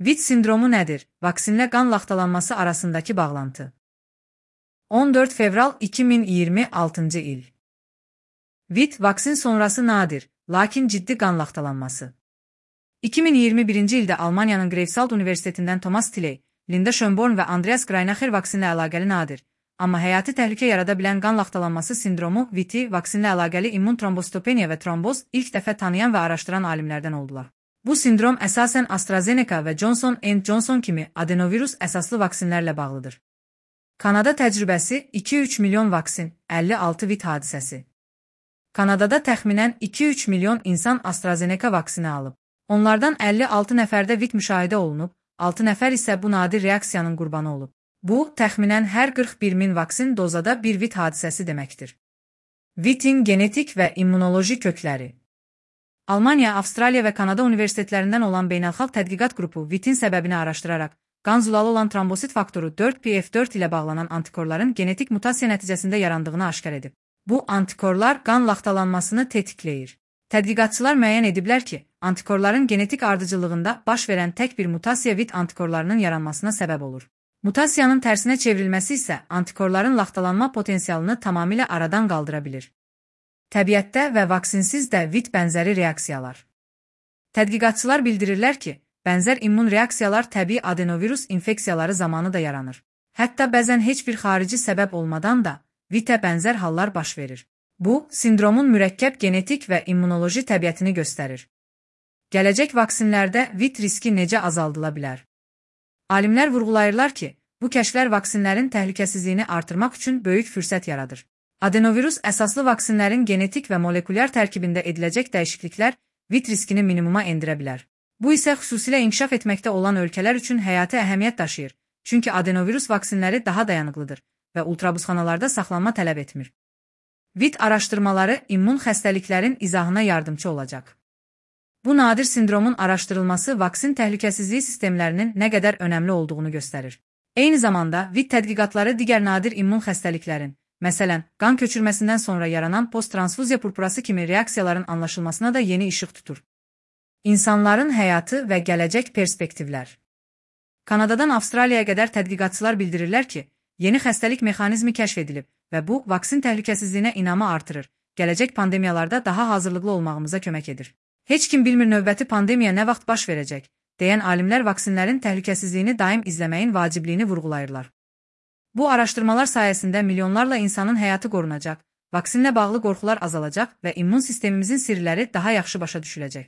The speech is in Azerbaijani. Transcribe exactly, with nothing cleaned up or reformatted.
V I T sindromu nədir? Vaksinlə qan laxtalanması arasındakı bağlantı. on dörd fevral iki min iyirmi altıncı il. V I T vaksin sonrası nadir, lakin ciddi qan laxtalanması. iki min iyirmi birinci ildə Almaniyanın Greifswald Universitetindən Thomas Tilley, Linda Schönborn və Andreas Greinacher vaksinlə əlaqəli nadir, amma həyati təhlükə yarada bilən qan laxtalanması sindromu V I T vaksinlə əlaqəli immun trombositopeniya və tromboz ilk dəfə tanıyan və araşdıran alimlərdən oldular. Bu sindrom əsasən AstraZeneca və Johnson and Johnson kimi adenovirus əsaslı vaksinlərlə bağlıdır. Kanada təcrübəsi iki üç milyon vaksin, əlli altı V I T hadisəsi. Kanadada təxminən iki üç milyon insan AstraZeneca vaksini alıb. Onlardan əlli altı nəfərdə V I T müşahidə olunub, altı nəfər isə bu nadir reaksiyanın qurbanı olub. Bu, təxminən hər qırx bir min vaksin dozada bir V I T hadisəsi deməkdir. V I T-in genetik və immunoloji kökləri. Almaniya, Avstraliya və Kanada universitetlərindən olan beynəlxalq tədqiqat qrupu V I T-in səbəbini araşdıraraq, qan zulalı olan trombosit faktoru dörd P F dörd ilə bağlanan antikorların genetik mutasiya nəticəsində yarandığını aşkar edib. Bu antikorlar qan laxtalanmasını tetikləyir. Tədqiqatçılar müəyyən ediblər ki, antikorların genetik ardıcıllığında baş verən tək bir mutasiya V I T antikorlarının yaranmasına səbəb olur. Mutasiyanın tərsinə çevrilməsi isə antikorların laxtalanma potensialını tamamilə aradan qaldıra bilir. Təbiətdə və vaksinsiz də V I T bənzəri reaksiyalar. Tədqiqatçılar bildirirlər ki, bənzər immun reaksiyalar təbii adenovirus infeksiyaları zamanı da yaranır. Hətta bəzən heç bir xarici səbəb olmadan da V I T-ə bənzər hallar baş verir. Bu, sindromun mürəkkəb genetik və immunoloji təbiətini göstərir. Gələcək vaksinlərdə V I T riski necə azaldıla bilər? Alimlər vurğulayırlar ki, bu kəşflər vaksinlərin təhlükəsizliyini artırmaq üçün böyük fürsət yaradır. Adenovirus əsaslı vaksinlərin genetik və molekulyar tərkibində ediləcək dəyişikliklər V I T riskini minimuma endirə bilər. Bu isə xüsusilə inkişaf etməkdə olan ölkələr üçün həyati əhəmiyyət daşıyır, çünki adenovirus vaksinləri daha dayanıqlıdır və ultrabuzxanalarda saxlanma tələb etmir. V I T araşdırmaları immun xəstəliklərin izahına yardımcı olacaq. Bu nadir sindromun araşdırılması vaksin təhlükəsizliyi sistemlərinin nə qədər önəmli olduğunu göstərir. Eyni zamanda V I T tədqiqatları digər nadir immun xəstəliklərin, məsələn, qan köçürməsindən sonra yaranan posttransfuziya purpurası kimi reaksiyaların anlaşılmasına da yeni işıq tutur. İnsanların həyatı və gələcək perspektivlər. Kanadadan Avstraliyaya qədər tədqiqatçılar bildirirlər ki, yeni xəstəlik mexanizmi kəşf edilib və bu, vaksin təhlükəsizliyinə inamı artırır, gələcək pandemiyalarda daha hazırlıqlı olmağımıza kömək edir. Heç kim bilmir növbəti pandemiya nə vaxt baş verəcək, deyən alimlər vaksinlərin təhlükəsizliyini daim izləməyin vacibliyini vurğulayırlar. Bu araşdırmalar sayəsində milyonlarla insanın həyatı qorunacaq, vaksinlə bağlı qorxular azalacaq və immun sistemimizin sirləri daha yaxşı başa düşüləcək.